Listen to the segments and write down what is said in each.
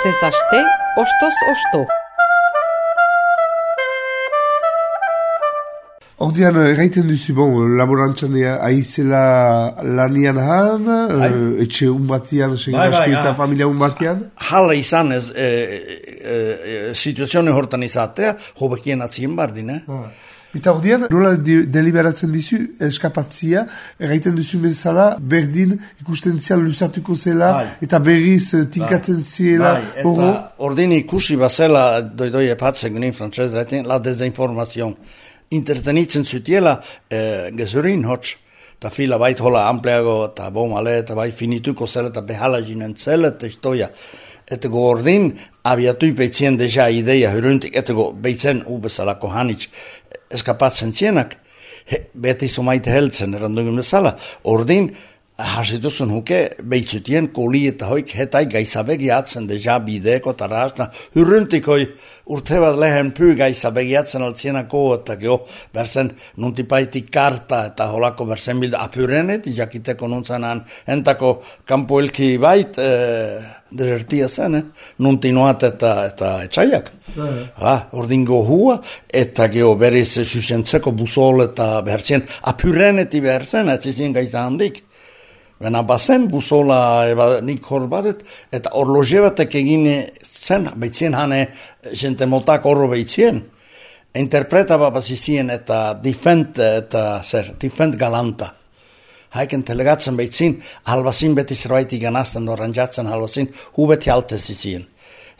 Astez aste, ostoz osto. Ordean, erraiten duzu, laborantzan aizela lanian han, etxe unbatian, eta familia unbatian? Hala izan ez, situazione hortan izatea, hobekien atzien bardin, Eta ordean, nola deliberatzen dizu eskapatzia, erraiten duzu bezala, berdin ikusten zian luzatuko zela, eta berriz tinkatzen ziela, eta ordin ikusi bazela, doi epatzen gunin frantzez, la dezinformazion. Intertenitzen zutiela gezurin hotz, eta fila bait hola ampleago, eta bomale, eta bai finituko zela, eta behala jinen zela, eta istoia. Eta go ordin, abiatui beitzien deja ideia hyruntik, eta go beitzen ubezalako hanitz eskapatzen zienak, beti somaite heltzen, erandungun bezala, ordin, hasituzun huke, beitzutien koli eta hoik hetai gaizabegi atzen deja bideko tarasna, hyruntik hoi urte bat lehen pyy gaizabegi atzen altsienako, eta geho bersen nuntipaiti karta eta holako bersen bilda apyrenet, jakiteko nuntzanan entako kampuelki bait, desertia zen, nuntinoat eta etxaiak. Ordin gohua, eta geho beriz susentzeko busol eta behersien apyreneti behersen, etzizien gaiza handik. Bena bazen busola nik hor badet, eta orloge batek egin zen, beitzien hane jente motak horro beitzien. Interpreta babazizien eta defend galanta. Haiken telegatzen beitzin, halbazin beti zerbaiti ganazten oranjatzen halbazin, hu beti altezizien.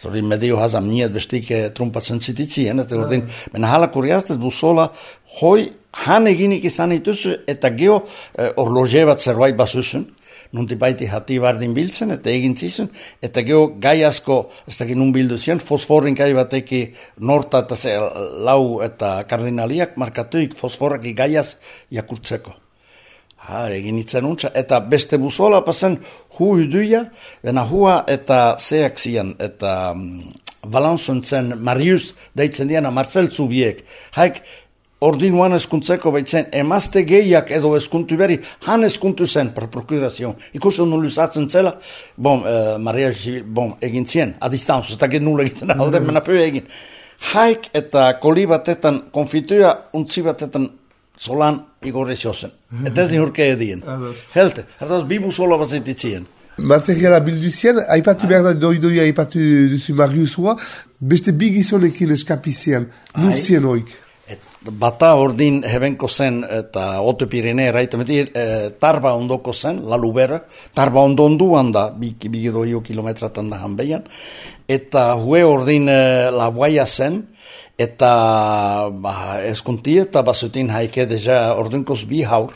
Zori medio hazam niet bestik trumpatzen zititzien, eta ordin, bena hala kuriastez busola, hoi han eginik izan ituzu, eta geho orloge bat zerbait basusun, nuntipaiti hati bardin biltzen, eta egin zizun, eta geho gai asko, ez dakit nun bildu ziren, fosforin gai bateki norta eta lau eta kardinaliak markatuik fosforaki gaiaz jakurtzeko. Egin itzen untza, eta beste busola pasen hu huduia, bena hua eta zeak zian, eta balanzun zen Marius deitzen diana Marcel Zubiek, haik ordinuan eskuntzeko baitzen, emazte gehiak edo eskuntu beri, han eskuntu zen per prokurazion. Ikusten nuluzatzen zela, Maria egin zien, a distanzu, ez dakit nula egiten alde, mena pio egin. Haik eta koli batetan konfituia, untzi batetan solan igorri zozen. Eta ez nihurke edien. Helte, hartaz bibu sola bazititzien. Materiala bilduzien, aipatu behar da doidoia aipatu duzu Mariusua, beste bigizonekin eskapizian, nuntzien oik. Bata ordin hebenko zen eta Oto Pirene erraitemetik tarba ondoko zen, la lubera, tarba onduan da, bigidoio kilometratan da hanbeian, eta hue ordin la guaia zen, eta eskunti eta basutin haike deja ordinkoz bi haur,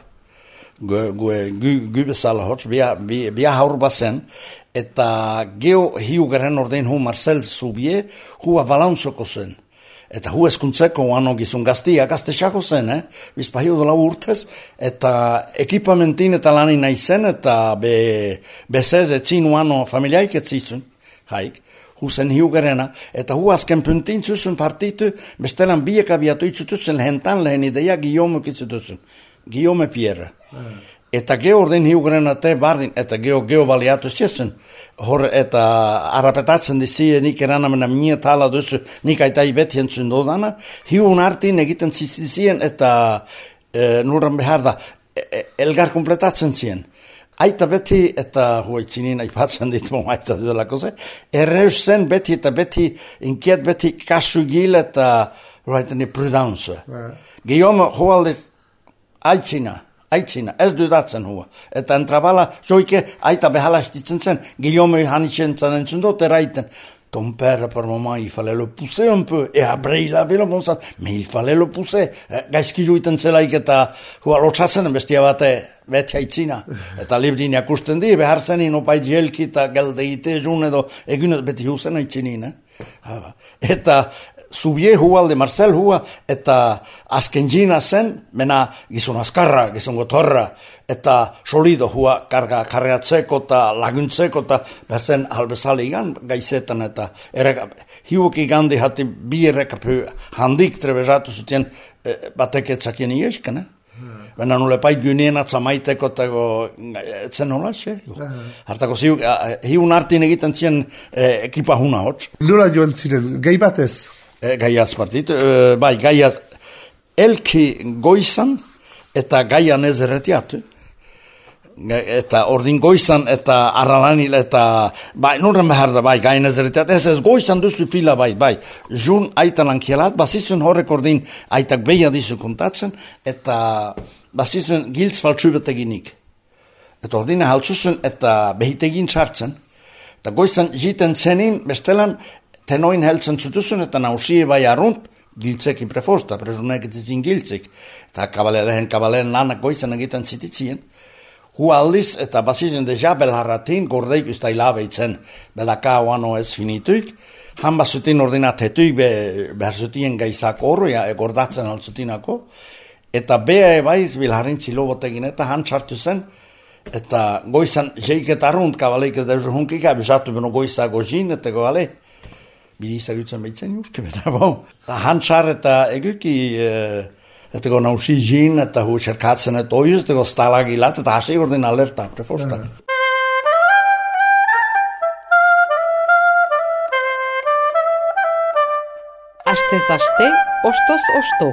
gu bezala hotz, bi haur bazen, eta geho hiugaren ordin hu Marcel Zubie, hu avalanzoko zen. Eta hu eskuntzeko uano gizun gazte xako zen, bizpahio dola urtez, eta ekipamentin eta lanin nahi zen, eta bezez etzin uano familiaik etzizun, haik, hu zen hiugarena, eta hu azken puntin zuzun partitu, bestelan biek abiatu itzutuzen lehentan lehen ideia Guillaume kitzutuzun, Guillaume Pierre. Eta geho ordin hiugarena te bardin, eta geho baliatu zizun, hor eta arrapetatzen dizie nik eranamena minea tala duzu, nik aitai betien zundodana, hiun artin egiten zizien eta nurran behar da, elgar kompletatzen zien. Aita beti, eta huaitzinin aipatzen ditu aita duelako ze, erreus zen beti eta beti, inkiet beti kasu gil eta prudence. Guillaume hualdez aitzina, ez dudatzen hua. Eta entrabala, joike, aita behala estitzen zen, Guillaume hanitzen zanen zundot eraiten. Ton père, par moment, il fallait le pousser un peu, et après il avait le bon sens, mais il fallait le pousser. Gaizki juiten zelaik eta hua lotxatzen bestia bate, beti aitzina. Eta libdin jakusten di, behar zenin opait jelki eta geldeite jun edo, egunet beti huzen aitzinin. Eta Zubie hualde Marcel hua, eta azken jina zen, mena gizon azkarra, gizon gotorra, eta solido hua karreatzeko eta laguntzeko eta berzen halbezale igan gaizetan eta hiuk igandi hati bi errekapu handik trebezatu zuten batek etzakien iesken. Baina nule pait gynien atzamaiteko tego, etzen hola, xe? Hartako hiun artin egiten ziren ekipa huna hotz. Nola joan ziren, gai batez? Gai azpartit, bai, gai elki goizan eta gaian ez erretiatu. Eta ordin goizan eta arralanil eta bai, nurren behar da bai, gain ez erretiat, ez goizan duzu fila bai, jun aitan lankielat, basizun horrek ordin aitak beia dizu kontatzen, eta basizun giltz faltsubeteginik. Eta ordine haltzuzun eta behitegin txartzen, eta goizan jiten zenin, bestelan, tenoin heltzen zutuzun, eta nausie bai arrunt, giltzeki prefosta, presunek etzizin giltzik, eta kabaleren lanak goizan egiten zititzien, hu aldiz eta basizun deja belharratin gordeik usta hilabeitzen belaka oano ez finituik, han basutin ordinatetuik behar zutien gaizak horro, gordatzen altzutinako, eta beha ebaiz bilharin zilobotegin eta han txartu zen, eta goizan jeiket arrunt kabaleik ez deuzu hunkik, abizatu beno goizak gozin, eta gobale, bidizak utzen behitzen juske, eta han txar eta eguki, eta go nausi jin, eta hu txerkatzen eta oiuz, eta go stalagilat, eta hasi ordin alerta, prefosta. Astez aste, ostoz osto.